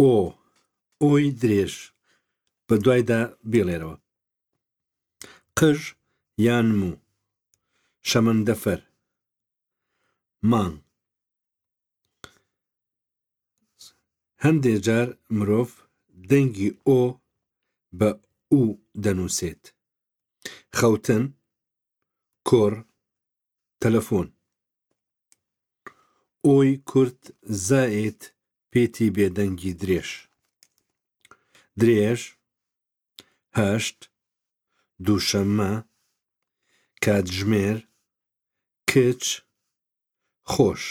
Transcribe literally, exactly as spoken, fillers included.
ئۆ، ئۆی درێژ، بە دوایدا بیڵێرەوە. قژ یان موو، شەمەندەفەر، مانگ. هەندێ جار مرۆڤ دەنگی ئۆ بە ئو دەنووسێت. خەوتن، کوڕ، تەلەفۆن. ئۆی کورت زائید پیتی بێدەنگی درێژ. درێژ، هەشت، دووشەممە، کاتژمێر، کچ، خۆش.